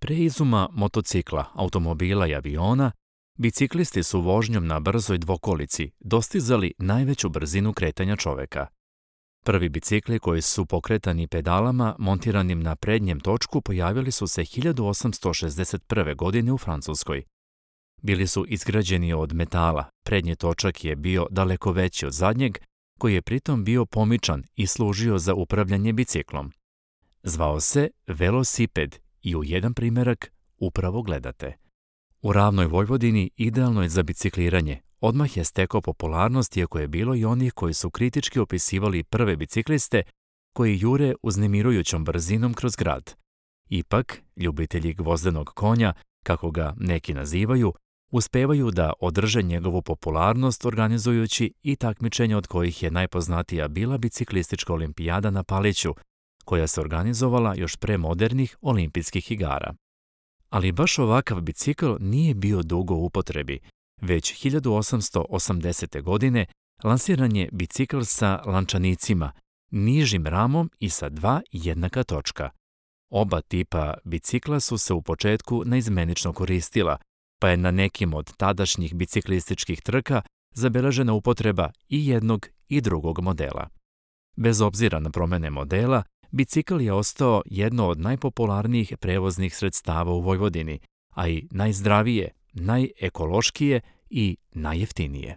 Pre izuma motocikla, automobila i aviona, biciklisti su vožnjom na brzoj dvokolici dostizali najveću brzinu kretanja čoveka. Prvi bicikli koji su pokretani pedalama montiranim na prednjem točku pojavili su se 1861. godine u Francuskoj. Bili su izgrađeni od metala, prednji točak je bio daleko veći od zadnjeg, koji je pritom bio pomičan i služio za upravljanje biciklom. Zvao se velosiped i u jedan primerak upravo gledate. U ravnoj Vojvodini idealno je za bicikliranje. Odmah je stekao popularnost, iako je bilo i onih koji su kritički opisivali prve bicikliste koji jure uznemirujućom brzinom kroz grad. Ipak, ljubitelji gvozdenog konja, kako ga neki nazivaju, uspevaju da održe njegovu popularnost organizujući i takmičenja od kojih je najpoznatija bila biciklistička olimpijada na Paliću, koja se organizovala još pre modernih olimpijskih igara. Ali baš ovakav bicikl nije bio dugo u upotrebi. Već 1880. godine lansiran je bicikl sa lančanicima, nižim ramom i sa dva jednaka točka. Oba tipa bicikla su se u početku naizmenično koristila, pa je na nekim od tadašnjih biciklističkih trka zabeležena upotreba i jednog i drugog modela. Bez obzira na promene modela, bicikl je ostao jedno od najpopularnijih prevoznih sredstava u Vojvodini, a i najzdravije, najekološkije i najjeftinije.